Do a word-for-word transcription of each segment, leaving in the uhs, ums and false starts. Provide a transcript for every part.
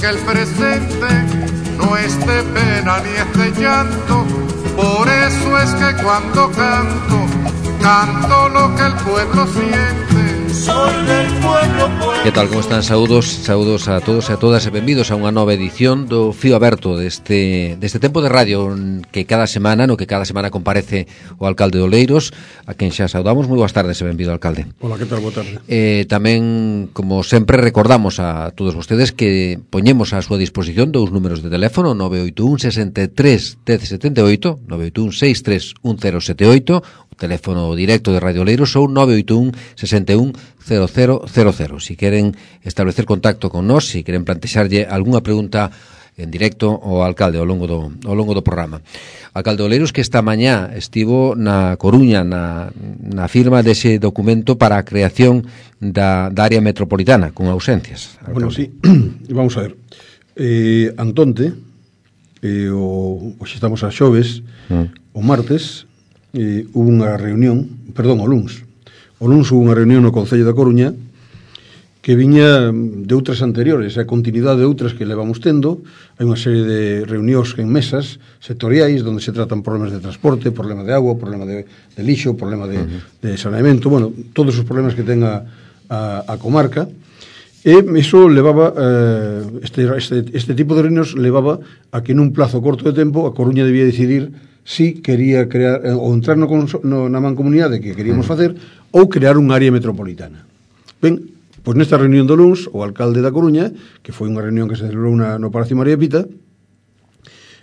que el presente no es de pena ni es de llanto. Por eso es que cuando canto, canto lo que el pueblo siente. Soy del pueblo, pueblo. Que tal, como están? Saúdos, saúdos a todos e a todas e benvidos a unha nova edición do Fío Aberto deste, deste tempo de radio que cada semana, no que cada semana comparece o alcalde de Oleiros, a quen xa saudamos. Moi boas tardes e benvido, alcalde. Hola, que tal? Boa tarde. Eh, tamén, como sempre, recordamos a todos vostedes que poñemos a súa disposición dous números de teléfono, nove oito un, sesenta e tres, dez setenta e oito, nove oito un, seis tres un cero sete oito, o teléfono directo de Radio Oleiros, ou nove oito un, sesenta e un, cero cero cero cero. Si queren establecer contacto con nós, si queren plantexarlle algunha pregunta en directo ao alcalde ao longo do, ao longo do programa. Alcalde Oleiros, que esta mañá estivo na Coruña na, na firma dese documento para a creación da, da área metropolitana con ausencias. Alcalde. Bueno, sí, vamos a ver. Eh, Antonte, eh, o, hoxe estamos a xoves, mm. o martes, eh, hubo unha reunión, perdón, o luns, o luns hubo unha reunión no Concello da Coruña que viña de outras anteriores, a continuidade de outras que levamos tendo. Hai unha serie de reunións en mesas sectoriais onde se tratan problemas de transporte, problema de agua, problema de, de lixo, problema de, uh-huh. de saneamento, bueno, todos os problemas que ten a, a, a comarca. E iso levaba, eh, este, este, este tipo de reunións levaba a que nun plazo corto de tempo a Coruña debía decidir si quería crear, eh, ou entrar no, no, na mancomunidade que queríamos uh-huh. facer, ou crear un área metropolitana. Ben, pois nesta reunión do luns, o alcalde da Coruña, que foi unha reunión que se celebrou na, no Palacio María Pita,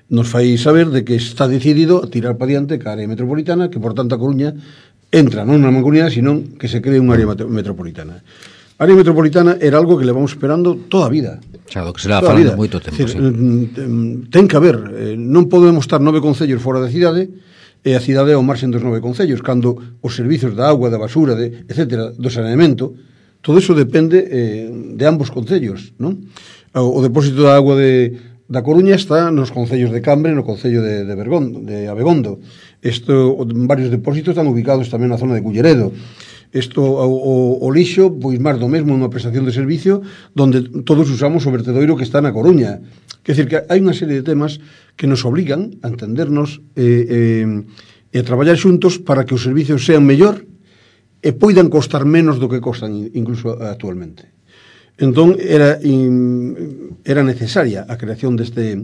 nos fai saber de que está decidido a tirar para diante ca área metropolitana, que por tanto a Coruña entra non na mancomunidade, senón que se cree unha área metropolitana. A área metropolitana era algo que levamos esperando toda a vida. Xa, do que se leva falando moito tempo, sí. Ten que haber, non podemos estar nove concellos fora da cidade, e a cidade ao marxen dos nove concellos, cando os servizos da agua, da basura, de, etcétera, do saneamento, todo iso depende eh, de ambos concellos, non? O, o depósito da agua de, da Coruña está nos concellos de Cambre e no concello de, de, Bergondo, de Abegondo. Esto, varios depósitos están ubicados tamén na zona de Culleredo. Isto, o, o, o lixo, pois máis do mesmo, unha prestación de servicio donde todos usamos o vertedoiro que está na Coruña. Quer dizer que hai unha serie de temas que nos obligan a entendernos e, eh, eh, a traballar xuntos para que os servicios sean mellor e poidan costar menos do que costan incluso actualmente. Entón era in, era necesaria a creación deste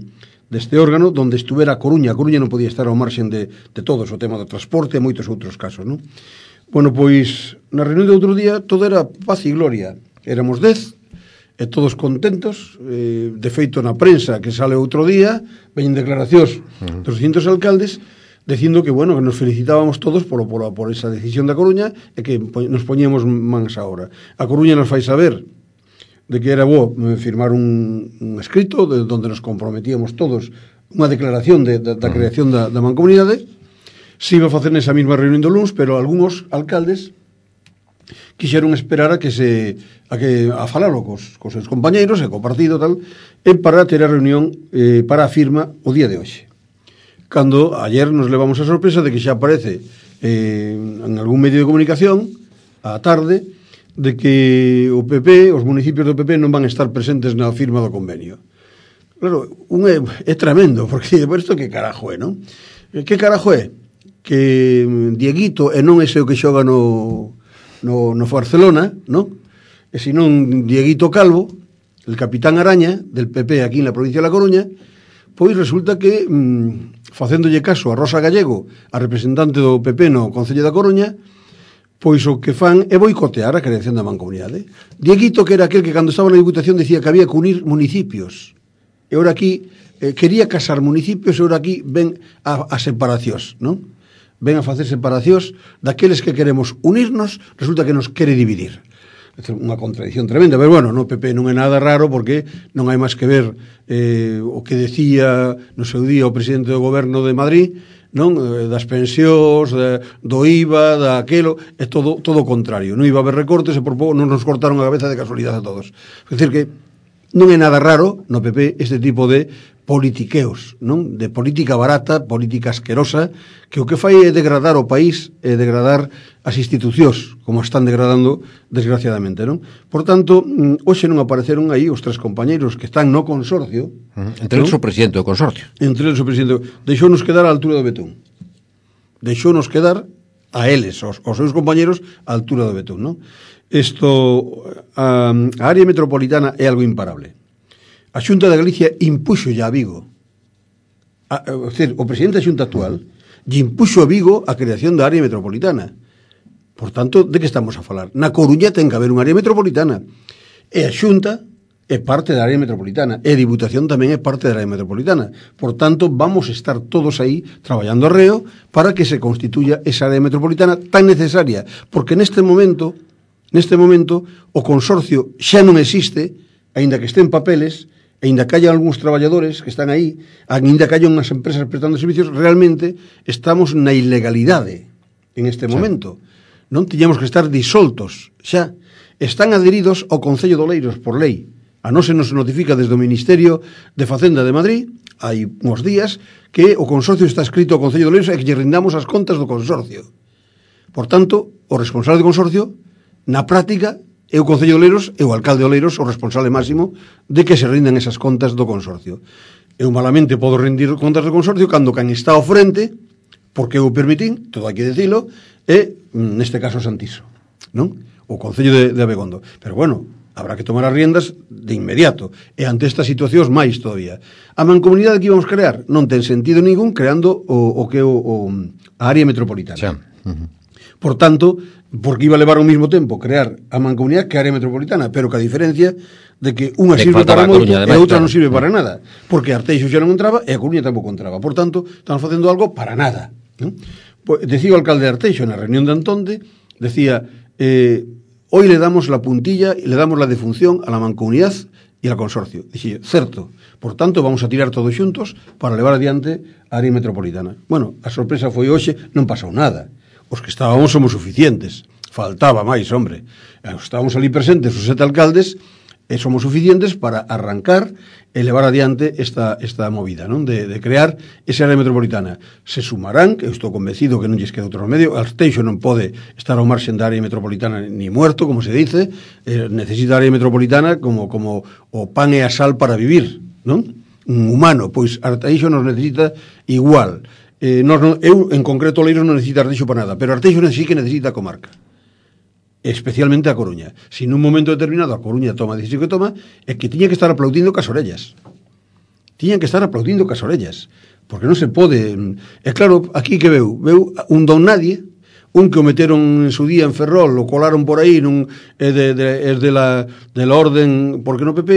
deste órgano donde estuvera a Coruña. A Coruña non podía estar ao marxen de, de todos, o tema do transporte e moitos outros casos, non? Bueno, pois na reunión de outro día todo era paz e gloria. Éramos dez e todos contentos, eh, de feito na prensa que sale outro día, veñen declaracións uh-huh. dos distintos alcaldes dicindo que, bueno, que nos felicitábamos todos por, por, por esa decisión da Coruña e que nos poñíamos mans a obra. A Coruña nos fai saber de que era bo firmar un, un escrito de, donde nos comprometíamos todos unha declaración de, de, da creación da, da mancomunidade. Se iba a facer nesa mesma reunión do luns, pero algúns alcaldes quixeron esperar a que se a que a falalo cos, cos seus compañeiros e co partido tal, e para ter a reunión eh, para a firma o día de hoxe. Cando ayer nos levamos a sorpresa de que xa aparece eh, en algún medio de comunicación á tarde de que o P P, os municipios do P P non van a estar presentes na firma do convenio. Claro, un é, é tremendo, porque por isto que carajo é, non? Que carajo é? Que Dieguito e non ese o que xoga no, no, no Barcelona, non? E senón Dieguito Calvo, el capitán Araña del P P aquí na provincia de La Coruña, pois resulta que, mmm, facéndolle caso a Rosa Gallego, a representante do P P no Concello da Coruña, pois o que fan é boicotear a creación da mancomunidade. Dieguito, que era aquel que cando estaba na Diputación decía que había que unir municipios, e ora aquí eh, quería casar municipios, e ora aquí ven a, a separacións, non? Ven a facer separacións daqueles que queremos unirnos, resulta que nos quere dividir. É unha contradición tremenda, pero bueno, no P P non é nada raro porque non hai máis que ver eh, o que decía no seu día o presidente do goberno de Madrid, non, das pensións, de, do I V A, daquelo, é todo todo o contrario. Non iba a haber recortes e por pouco non nos cortaron a cabeza de casualidade a todos. É dicir que non é nada raro no P P este tipo de politiqueos, non? De política barata, política asquerosa, que o que fai é degradar o país, é degradar as institucións, como están degradando desgraciadamente, non? Por tanto, hoxe non apareceron aí os tres compañeiros que están no consorcio. Uh-huh. Entre eles o presidente do consorcio. Entre eles o presidente. Deixounos quedar á altura do betún. Deixounos quedar a eles, os, os seus compañeros, á altura do betún, non? Isto, a, a área metropolitana é algo imparable. A Xunta de Galicia impuxo ya a Vigo, a, a, a decir, o presidente da Xunta actual lle impuxo a Vigo a creación da área metropolitana. Por tanto, de que estamos a falar? Na Coruña ten que haber unha área metropolitana, e a Xunta é parte da área metropolitana, e a Diputación tamén é parte da área metropolitana. Por tanto, vamos a estar todos aí traballando arreo para que se constituya esa área metropolitana tan necesaria, porque neste momento, neste momento, o consorcio xa non existe, aínda que este en papeles, aínda que haya algúns traballadores que están aí, aínda que haya unhas empresas prestando servicios, realmente estamos na ilegalidade en este momento. Non tiñamos que estar disoltos xa. Están adheridos ao Concello de Oleiros por lei. A non se nos notifica desde o Ministerio de Facenda de Madrid, hai uns días, que o consorcio está escrito ao Concello de Oleiros e que lle rindamos as contas do consorcio. Por tanto, o responsable do consorcio, na práctica, é o Concello de Oleiros e o alcalde de Oleiros o responsable máximo de que se rindan esas contas do consorcio. Eu malamente podo rendir contas do consorcio cando can está ao frente, porque eu permitín, todo hai que dicilo, é, neste caso, Santiso, non? O Concello de, de Abegondo. Pero bueno, habrá que tomar as riendas de inmediato, e ante estas situacións máis todavía. A mancomunidade que íbamos crear non ten sentido ningún creando o, o que o, o, a área metropolitana. Xa. Uh-huh. Por tanto, porque iba a levar ao mesmo tempo crear a mancomunidade que a área metropolitana, pero que a diferencia de que unha sirve para moito e a outra non sirve para nada, porque Arteixo xa non entraba e a Coruña tampouco entraba. Por tanto, estamos facendo algo para nada, ¿no? Pues, decía o alcalde de Arteixo na reunión de Antonde, decía, eh, hoy le damos la puntilla y le damos la defunción a la mancomunidad y al consorcio. Dixía, certo, por tanto vamos a tirar todos xuntos para levar adiante a área metropolitana. Bueno, a sorpresa foi hoxe, non pasou nada. Os que estábamos somos suficientes. Faltaba máis, hombre. Estábamos ali presentes os sete alcaldes e somos suficientes para arrancar e levar adiante esta, esta movida, non? De, de crear esa área metropolitana. Se sumarán, que eu estou convencido que non lles queda outro remedio, Arteixo non pode estar ao marxen da área metropolitana ni muerto, como se dice, eh, necesita a área metropolitana como, como o pan e a sal para vivir, non? Un humano, pois Arteixo nos necesita igual. Eh, nos, non, eu, en concreto, Oleiros non necesita Arteixo para nada, pero Arteixo sí que necesita a comarca, especialmente a Coruña. Si nun momento determinado a Coruña toma a decisión que toma, é que tiña que estar aplaudindo cas orellas. Tiñan que estar aplaudindo cas orellas, porque non se pode. É claro, aquí que veu, veu un don nadie, un que o meteron en su día en Ferrol, o colaron por aí, nun, é de, de, é de la, de la orden, porque no P P,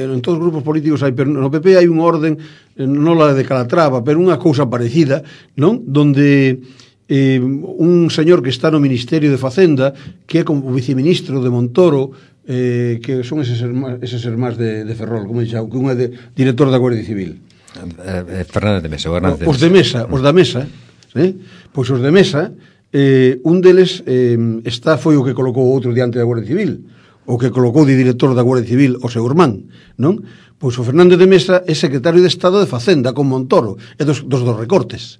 en todos os grupos políticos hai, pero no P P hai unha orden, non la de Calatrava, pero unha cousa parecida, non? Donde eh, un señor que está no Ministerio de Facenda, que é como viceministro de Montoro, eh, que son eses hermanos, eses hermanos de, de Ferrol, como dixo, que un é de director da Guardia Civil. Eh, Fernández de Mesa, Fernández de Mesa. Os de Mesa, os da Mesa, eh? Pois os de Mesa, eh, un deles eh, está foi o que colocou outro diante da Guardia Civil, o que colocou de director da Guardia Civil o seu irmán, non? Pois o Fernández de Mesa é secretario de Estado de Facenda con Montoro, e dos, dos dos recortes.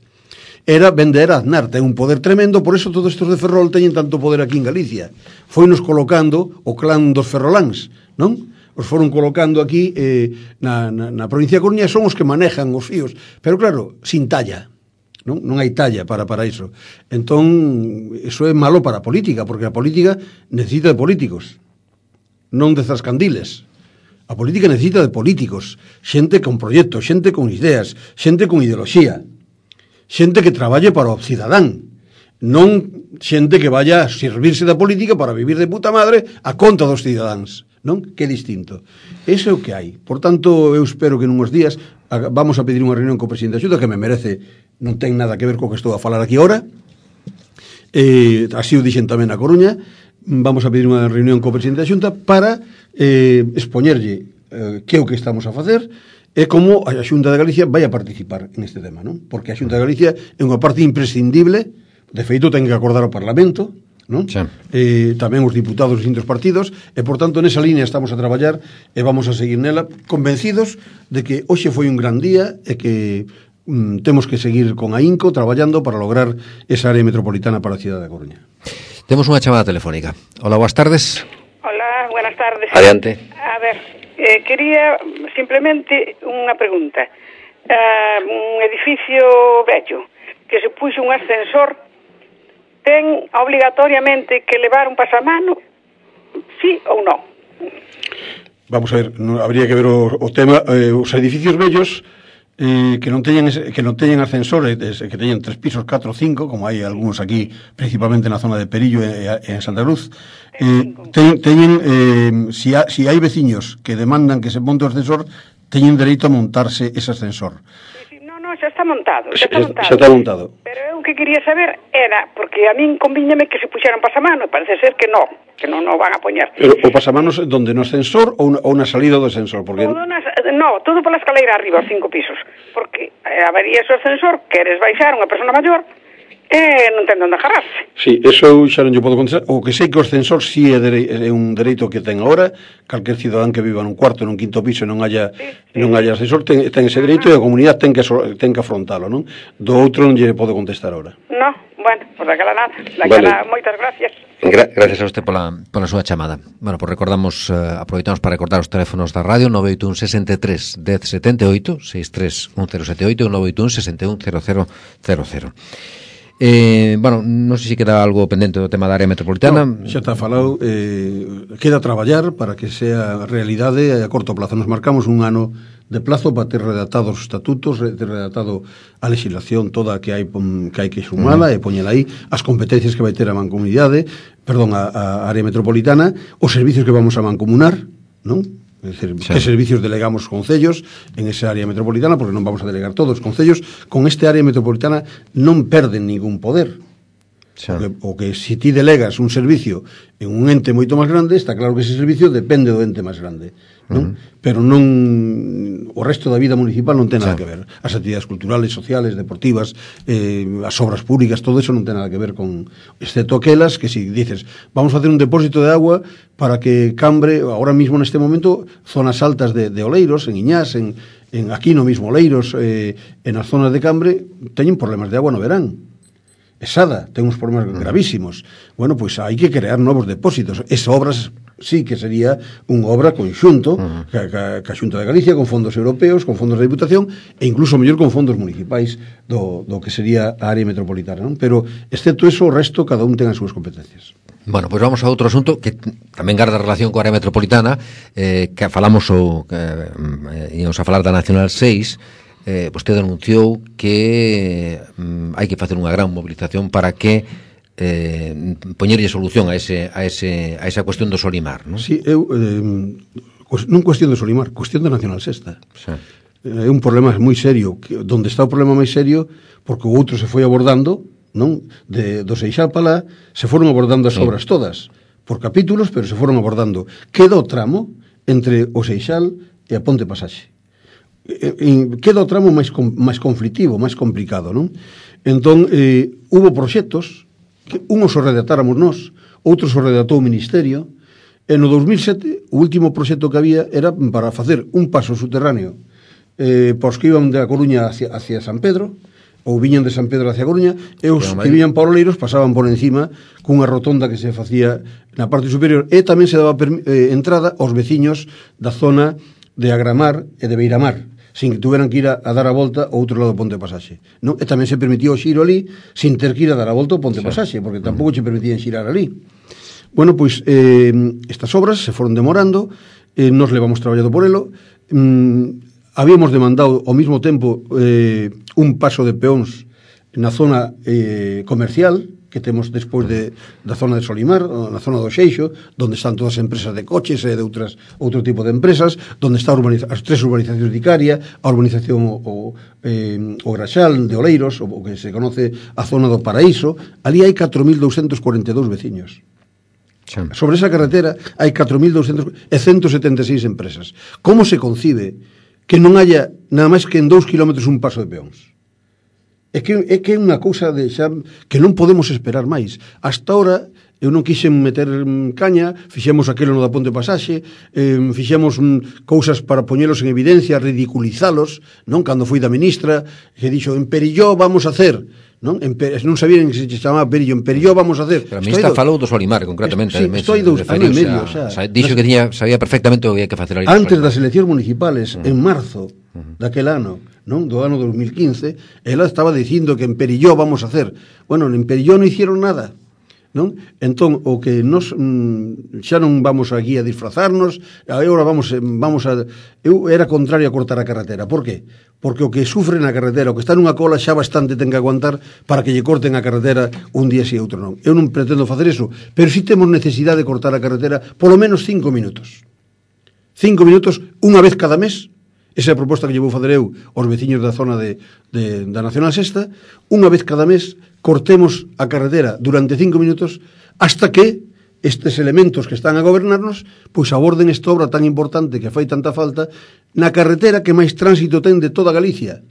Era vender a Aznar, ten un poder tremendo, por eso todos estes de Ferrol teñen tanto poder aquí en Galicia. Foinos colocando o clan dos ferroláns, non? Os foron colocando aquí eh, na, na, na provincia de Coruña, son os que manejan os fíos, pero claro, sin talla. Non, non hai talla para, para iso. Entón, iso é malo para a política, porque a política necesita de políticos, non de zascandiles. A política necesita de políticos, xente con proxectos, xente con ideas, xente con ideoloxía, xente que traballe para o cidadán, non xente que vaya a servirse da política para vivir de puta madre a conta dos cidadáns, non? Que é distinto. Ese é o que hai. Por tanto, eu espero que nunhos días vamos a pedir unha reunión co presidente da Xunta, que me merece, non ten nada que ver co que estou a falar aquí ahora, eh, así o dixen tamén na Coruña. Vamos a pedir unha reunión co presidente da Xunta para eh, expoñerlle eh, que é o que estamos a facer e como a Xunta de Galicia vai a participar en este tema, non? Porque a Xunta de Galicia é unha parte imprescindible, de feito ten que acordar o Parlamento non? Sí. Eh, tamén os diputados dos distintos partidos, e, por tanto, nesa línea estamos a traballar e vamos a seguir nela, convencidos de que hoxe foi un gran día e que mm, temos que seguir con ahínco traballando para lograr esa área metropolitana para a cidade da Coruña. Temos unha chamada telefónica. Hola, boas tardes. Hola, buenas tardes. Adiante. A ver, eh, quería simplemente unha pregunta. Uh, un edificio vello que se puxo un ascensor ten obligatoriamente que levar un pasamano, sí ou non? Vamos a ver, no, habría que ver o, o tema, eh, os edificios vellos eh, que non teñen ese, que non teñen ascensores, que teñen tres pisos, catro, cinco, como hai algúns aquí, principalmente na zona de Perillo e, e en Santa Cruz, eh, ten, teñen eh, si, ha, si hai veciños que demandan que se monte o ascensor, teñen dereito a montarse ese ascensor. Sí, sí, no, no, xa está montado, xa está montado. Xa está montado. Pero eu que quería saber era, porque a min convíñame que se puxeran pasamano, e parece ser que non, que non o van a poñer. Pero o pasamanos donde, no ascensor ou, ou na salida do ascensor? Porque... Todo nas, no, todo pola escaleira arriba, os cinco pisos. Porque eh, habería ese ascensor, queres baixar unha persona maior, e non ten onde agarrarse. Sí, eso eu xa non lle podo contestar. O que sei que o ascensor si sí é, dere, é un dereito que ten agora. Calquer cidadán que viva nun cuarto, nun quinto piso e non haya, sí, sí. non haya ascensor ten, ten ese dereito, e a comunidade ten que, ten que afrontalo, non? Do outro non lle podo contestar agora. No, bueno, pues daquela nada, daquela, vale. Moitas gracias. Gra gracias a usted pola, pola súa chamada. Bueno, pues recordamos, uh, aproveitamos para recordar os teléfonos da radio: nove oito un, sesenta e tres, dez, setenta e oito, sesenta e tres, un cero sete oito, nove oito un, sesenta e un, cero cero cero cero. Eh, bueno, non sei se queda algo pendente do tema da área metropolitana. No, xa está falado, eh, queda traballar para que sea realidade a corto plazo. Nos marcamos un ano de plazo para ter redactados os estatutos, ter redactado a legislación toda que hai que hai que sumala, uh -huh. e poñela aí, as competencias que vai ter a mancomunidade, perdón, a, a área metropolitana, os servicios que vamos a mancomunar, non? É dicir, sí. Que servicios delegamos concellos en esa área metropolitana, porque non vamos a delegar todos os concellos. Con este área metropolitana non perden ningún poder. Sí. O, que, o que si ti delegas un servicio en un ente moito máis grande, está claro que ese servicio depende do ente máis grande, non? Uh -huh. Pero non, o resto da vida municipal non ten nada, sí, que ver. As actividades culturales, sociales, deportivas, eh, as obras públicas, todo eso non ten nada que ver con, excepto aquelas que si dices, vamos a hacer un depósito de agua para que Cambre, ahora mismo neste momento, zonas altas de, de Oleiros, en Iñás, en, en aquí no mismo Oleiros, eh, en as zonas de Cambre, teñen problemas de agua no verán. Esada, ten uns problemas gravísimos. Bueno, pois pues hai que crear novos depósitos. Esa obras sí que sería unha obra conxunto, uh -huh. ca, ca, ca Xunta de Galicia, con fondos europeos, con fondos de Diputación, e incluso mellor con fondos municipais do, do que sería a área metropolitana, non? Pero, excepto eso, o resto, cada un ten as súas competencias. Bueno, pois pues vamos a outro asunto que tamén garda relación coa área metropolitana, eh, que falamos o que eh, íamos a falar da Nacional seis. Eh, vostede anunciou que mm, hai que facer unha gran movilización para que eh, poñerlle solución a ese a ese a esa cuestión do Solimar, non? Sí, eu eh, non cuestión do Solimar, cuestión da Nacional Sexta. Sí. É un problema moi serio, que, donde está o problema máis serio, porque o outro se foi abordando, non? De do Seixal para lá, se foron abordando as sí. obras todas, por capítulos, pero se foron abordando. Queda o tramo entre o Seixal e a Ponte Pasaxe. Queda o tramo máis máis conflitivo, máis complicado, non? Entón, eh, hubo proxectos que unhos o redactáramos nós, outros o redactou o Ministerio, e no dous mil sete o último proxecto que había era para facer un paso subterráneo eh, para os que iban de a Coruña hacia, hacia San Pedro, ou viñan de San Pedro hacia a Coruña, e os que viñan para Oleiros pasaban por encima cunha rotonda que se facía na parte superior, e tamén se daba eh, entrada aos veciños da zona de Agramar e de Beiramar, sin que tuveran que ir a, a dar a volta ao outro lado do Ponte Pasaxe, non? E tamén se permitía o xiro ali sin ter que ir a dar a volta ao Ponte sí. Pasaxe, porque tampouco se permitían xirar ali. Bueno, pois eh, estas obras se foron demorando, eh, nos levamos traballado por elo, mm, habíamos demandado ao mesmo tempo eh, un paso de peóns na zona eh, comercial que temos despois de, da zona de Solimar, na zona do Xeixo, onde están todas as empresas de coches e de outras, outro tipo de empresas, onde están as tres urbanizacións de Icaria, a urbanización o, o, eh, o Graxal de Oleiros, o, o que se conoce a zona do Paraíso. Ali hai catro mil douscentos cuarenta e dous veciños. Sí. Sobre esa carretera hai catro mil douscentos e ciento setenta e seis empresas. Como se concibe que non haya nada máis que en dous kilómetros un paso de peóns? É que é que é unha cousa de xa que non podemos esperar máis. Hasta ahora eu non quixen meter caña, fixemos aquilo no da Ponte Pasaxe, eh, fixemos mm, cousas para poñelos en evidencia, ridiculizalos, non? Cando fui da ministra, que dixo, en Perilló vamos a hacer, non? En, non sabían que se chamaba Perillo, en Perilló vamos a hacer. Pero a ministra do... falou do Solimar, concretamente. Sí, estou dos anos e medio, xa. Dixo que tiña, sabía perfectamente o que había que facer ali. Antes das eleccións municipales, uh -huh. en marzo uh -huh. daquel ano, non? Do ano dos mil quince, ela estaba dicindo que en Perilló vamos a hacer. Bueno, en Perilló non hicieron nada. Non? Entón, o que nos mm, xa non vamos aquí a disfrazarnos, agora vamos, vamos a... Eu era contrario a cortar a carretera. Por qué? Porque o que sufre na carretera, o que está nunha cola, xa bastante ten que aguantar para que lle corten a carretera un día e outro non. Eu non pretendo facer eso, pero si temos necesidade de cortar a carretera polo menos cinco minutos. Cinco minutos, unha vez cada mes. Esa é a proposta que lle vou fazer eu aos veciños da zona de, de, da Nacional Sexta. Unha vez cada mes cortemos a carretera durante cinco minutos hasta que estes elementos que están a gobernarnos pois aborden esta obra tan importante que fai tanta falta na carretera que máis tránsito ten de toda Galicia.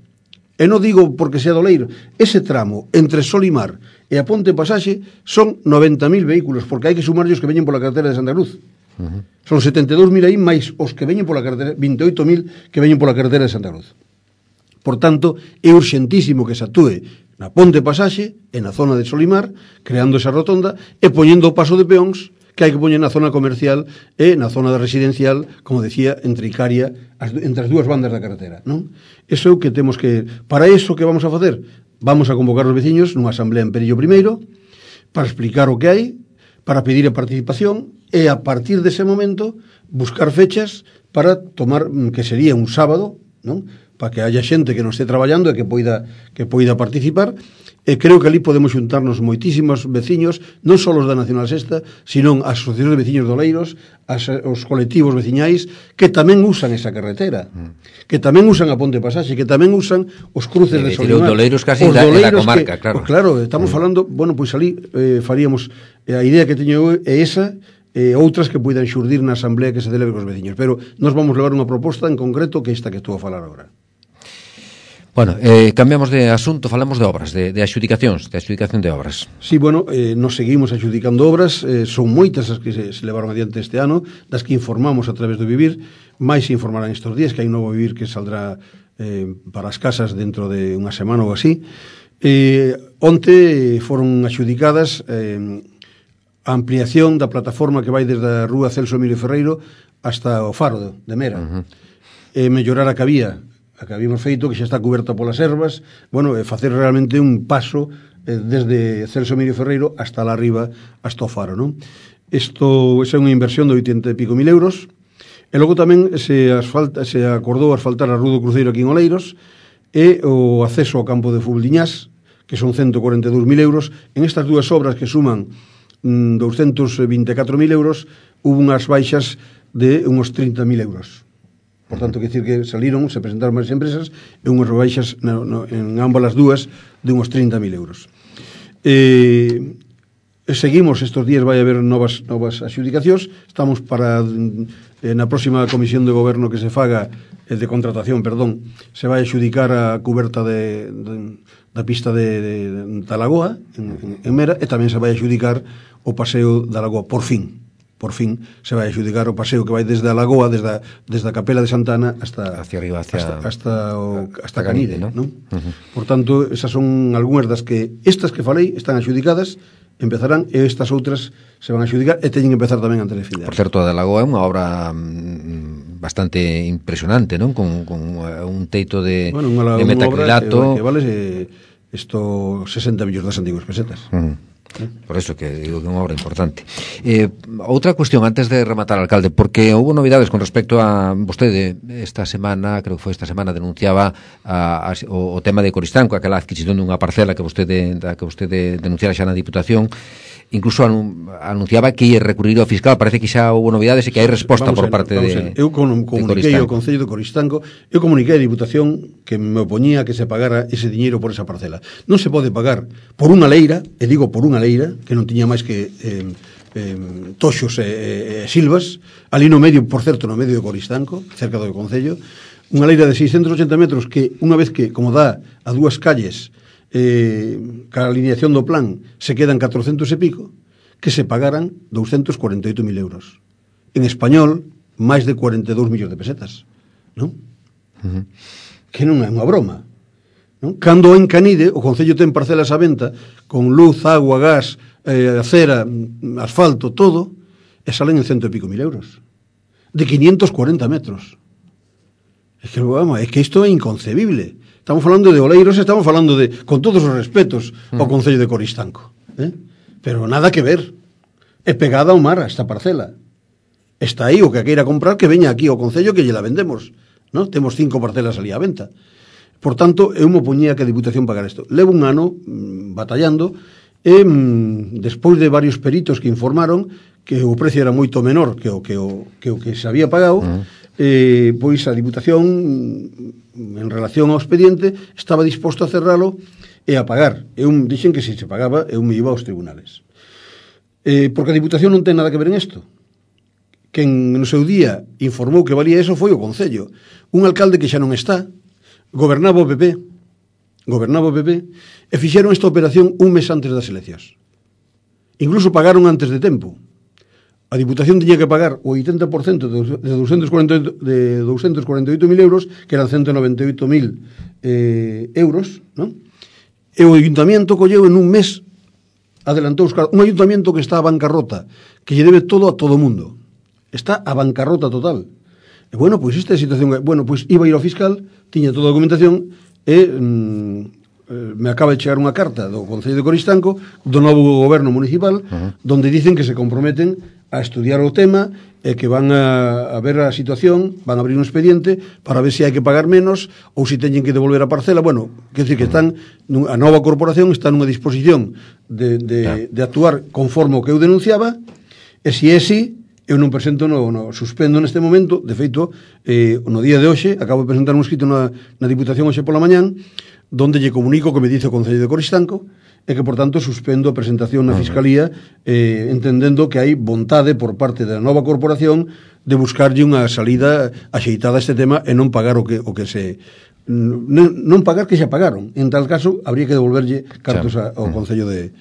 E non digo porque sea doleiro. Ese tramo entre Solimar e a Ponte Pasaxe son noventa mil vehículos, porque hai que sumarllos que veñen pola carretera de Santa Cruz. Uh -huh. Son setenta e dous mil aí máis os que veñen pola carretera, vinte e oito mil que veñen pola carretera de Santa Cruz. Por tanto, é urxentísimo que se atúe na Ponte Pasaxe e na zona de Solimar, creando esa rotonda e poñendo o paso de peóns que hai que poñer na zona comercial e na zona residencial, como decía, entre Icaria, as, entre as dúas bandas da carretera, non? Eso é o que temos que... Para iso que vamos a facer? Vamos a convocar os veciños nunha asamblea en Perillo primeiro, para explicar o que hai, para pedir a participación, e a partir dese momento buscar fechas para tomar, que sería un sábado, non? Para que haya xente que non este traballando e que poida, que poida participar, e creo que ali podemos xuntarnos moitísimos veciños, non só os da Nacional Sexta, sino as asociacións de veciños doleiros, as, os colectivos veciñais, que tamén usan esa carretera, mm. que tamén usan a Ponte Pasaxe, que tamén usan os cruces de, de Solimar. Os doleiros casi da, da comarca, que, claro. Pues claro, estamos mm. falando, bueno, pois pues ali eh, faríamos, eh, a idea que teño é esa, e outras que poidan xurdir na asamblea que se celebre cos veciños, pero nos vamos levar unha proposta en concreto que esta que estou a falar agora. Bueno, eh, cambiamos de asunto, falamos de obras, de, de adxudicacións, de adxudicación de obras. Sí, bueno, eh, nos seguimos adxudicando obras, eh, son moitas as que se, se levaron adiante este ano, das que informamos a través do Vivir, máis se informarán estes días, que hai un novo Vivir que saldrá eh, para as casas dentro de unha semana ou así. Eh, onte foron adxudicadas eh, a ampliación da plataforma que vai desde a rúa Celso Emilio Ferreiro hasta o Faro de Mera. Uh -huh. E mellorar a que había, a que habíamos feito, que xa está coberta polas ervas, bueno, e facer realmente un paso eh, desde Celso Emilio Ferreiro hasta lá arriba, hasta o Faro, non? Isto é unha inversión de oitenta e pico mil euros, e logo tamén se, asfalta, se acordou asfaltar a Rúa do Cruceiro aquí en Oleiros, e o acceso ao campo de fútbol de Iñás, que son ciento cuarenta e dous mil euros. En estas dúas obras que suman mm, doscientos vinte e catro mil euros, hubo unhas baixas de uns trinta mil euros. Por tanto, que decir que saliron, se presentaron máis empresas, e unhas baixas no, no, en ambas as dúas de uns trinta mil euros. Eh, seguimos, estes días vai haber novas, novas adxudicacións, estamos para eh, na próxima comisión de goberno que se faga, eh, de contratación, perdón, se vai adxudicar a cuberta de, de, da pista de, de, da Lagoa en, en Mera, e tamén se vai adxudicar o paseo da Lagoa, por fin por fin se vai adxudicar o paseo que vai desde a Lagoa, desde a, desde a Capela de Santana hasta hacia arriba, hacia hasta, hasta, o, hasta Canide, ¿no? ¿no? Uh-huh. Por tanto, esas son algunhas das que estas que falei están adxudicadas, empezarán, e estas outras se van a adxudicar e teñen que empezar tamén antes de fin de ano. Por certo, a da Lagoa é unha obra mm, bastante impresionante, non? Con, con uh, un teito de, bueno, unha, de metacrilato que, que vale eh, esto sesenta millóns das antiguas pesetas. Uh-huh. Por eso que digo que é unha obra importante. Eh, outra cuestión antes de rematar, alcalde, porque houve novidades con respecto a vostede esta semana, creo que foi esta semana, denunciaba a, a, o, o tema de Coristanco, aquela adquisición dunha parcela que vostede da que vostede denunciara xa na Diputación. Incluso anunciaba que ia recurrir ao fiscal. Parece que xa houve novidades e que hai resposta vamos por en, parte de Eu comuniquei ao Concello de Coristanco, eu comuniquei a Diputación que me opoñía que se pagara ese diñeiro por esa parcela. Non se pode pagar por unha leira, e digo por unha leira, que non tiña máis que eh, eh, toxos e eh, eh, silvas, ali no medio, por certo, no medio de Coristanco, cerca do Concello, unha leira de seiscentos ochenta metros que, unha vez que, como dá a dúas calles, eh, ca alineación do plan se quedan catrocentos e pico, que se pagaran doscientos cuarenta e oito mil euros. En español, máis de cuarenta e dous millóns de pesetas, non? Uh-huh. Que non é unha broma, non? Cando en Canide o Concello ten parcelas á venta con luz, agua, gas, eh, acera, asfalto, todo, e salen en cento e pico mil euros de quinientos cuarenta metros. É que, vamos, é que isto é inconcebible. Estamos falando de Oleiros, estamos falando de, con todos os respetos, ao Concello de Coristanco, eh? Pero nada que ver. É pegada ao mar esta parcela. Está aí o que queira comprar, que veña aquí ao Concello que lle la vendemos, ¿no? Temos cinco parcelas ali á venta. Por tanto, eu me opoñía que a Diputación pagara isto. Levo un ano mmm, batallando e mmm, despois de varios peritos que informaron que o precio era moito menor que o que o que, o que se había pagado, uh-huh. eh, pois a Diputación en relación ao expediente estaba disposto a cerralo e a pagar. Eu dixen que se se pagaba eu me iba aos tribunales. Eh, porque a Diputación non ten nada que ver en isto. Quen no seu día informou que valía eso foi o Concello. Un alcalde que xa non está, gobernaba o P P, gobernaba o P P, e fixeron esta operación un mes antes das eleccións. Incluso pagaron antes de tempo. A Diputación tiña que pagar o oitenta por cento de doscientos cuarenta e oito mil euros, que eran ciento noventa e oito mil eh, euros, non? E o Ayuntamiento colleu en un mes, adelantou os cargos, un Ayuntamiento que está a bancarrota, que lle debe todo a todo mundo. Está a bancarrota total. E bueno, pois esta é a situación. Bueno, pois iba a ir ao fiscal, tiña toda a documentación e mm, me acaba de chegar unha carta do Concello de Coristanco, do novo goberno municipal, uh-huh. donde dicen que se comprometen a estudiar o tema e que van a, a ver a situación, van a abrir un expediente para ver se hai que pagar menos ou se teñen que devolver a parcela. Bueno, quer dizer que están, a nova corporación está nunha disposición de, de, de actuar conforme o que eu denunciaba, e se é así, eu non presento, no, no, suspendo neste momento. De feito, eh, no día de hoxe acabo de presentar un escrito na, na Diputación hoxe pola mañán, donde lle comunico que me dice o Concello de Coristanco e que, por tanto, suspendo a presentación na Fiscalía, eh, entendendo que hai vontade por parte da nova corporación de buscarlle unha salida axeitada a este tema e non pagar o que, o que se... Non, non pagar que xa pagaron. En tal caso, habría que devolverlle cartos a, ao Concello de,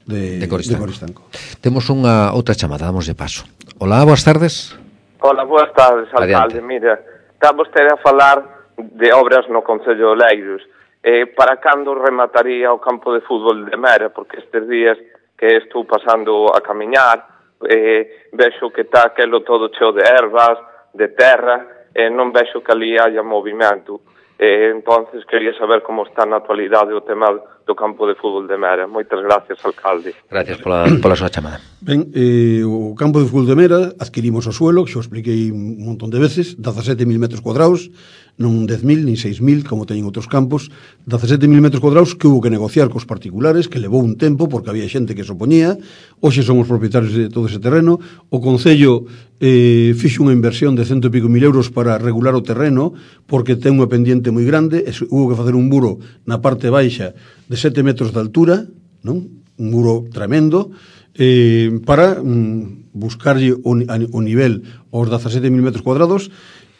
de, de, Coristanco. de Coristanco. Temos unha outra chamada, damos de paso. Hola, boas tardes. Hola, boas tardes, alcalde. Adiante. Mira, está vostede a falar de obras no Concello de Oleiros. Eh, para cando remataría o campo de fútbol de Mera? Porque estes días que estou pasando a camiñar, eh, vexo que está aquelo todo cheo de ervas, de terra, e eh, non vexo que ali haya movimento. Eh, entonces quería saber como está na actualidade o tema do campo de fútbol de Mera. Moitas gracias, alcalde. Gracias pola, pola súa chamada. Ben, eh, o campo de fútbol de Mera adquirimos o suelo, que xo expliquei un montón de veces, dezasete mil metros cuadrados, non dez mil, nin seis mil, como teñen outros campos, dezasete mil metros cuadrados que hubo que negociar cos particulares, que levou un tempo, porque había xente que se opoñía. Hoxe son os propietarios de todo ese terreno. O Concello eh, fixo unha inversión de cento e pico mil euros para regular o terreno, porque ten unha pendiente moi grande, e hubo que facer un muro na parte baixa de sete metros de altura, non? Un muro tremendo, eh, para mm, buscarlle o, o nivel aos dezasete mil metros cuadrados.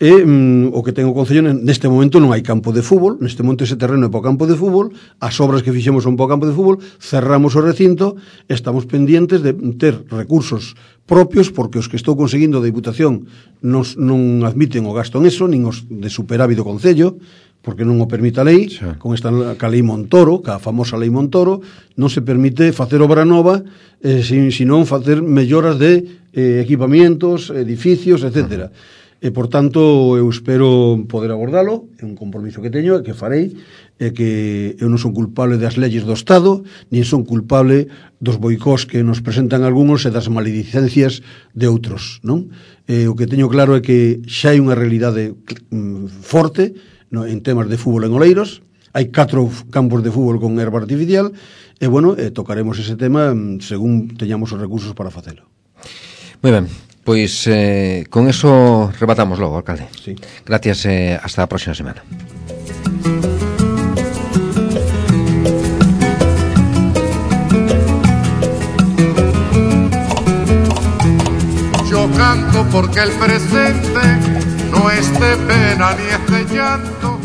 E mm, o que ten o Concello, neste momento non hai campo de fútbol, neste momento ese terreno é para o campo de fútbol, as obras que fixemos son para o campo de fútbol, cerramos o recinto, estamos pendientes de ter recursos propios, porque os que estou conseguindo da Diputación nos, non admiten o gasto en eso, nin os de superávit do Concello, porque non o permite a lei, sí. Con esta ca lei Montoro, ca famosa lei Montoro, non se permite facer obra nova, eh, sino facer melloras de eh, equipamientos, edificios, etcétera. Uh-huh. E, por tanto, eu espero poder abordalo, é un compromiso que teño e que farei, e que eu non son culpable das leyes do Estado, nin son culpable dos boicós que nos presentan algúns e das maledicencias de outros, non? E, o que teño claro é que xa hai unha realidade mm, forte, no, en temas de fútbol en Oleiros, hai catro campos de fútbol con herba artificial, e, bueno, eh, tocaremos ese tema mm, según teñamos os recursos para facelo. Moi ben. Pois eh, con eso rebatamos logo, alcalde. Sí. Gracias, eh, hasta a próxima semana. Yo canto porque el presente no es de pena ni es de llanto.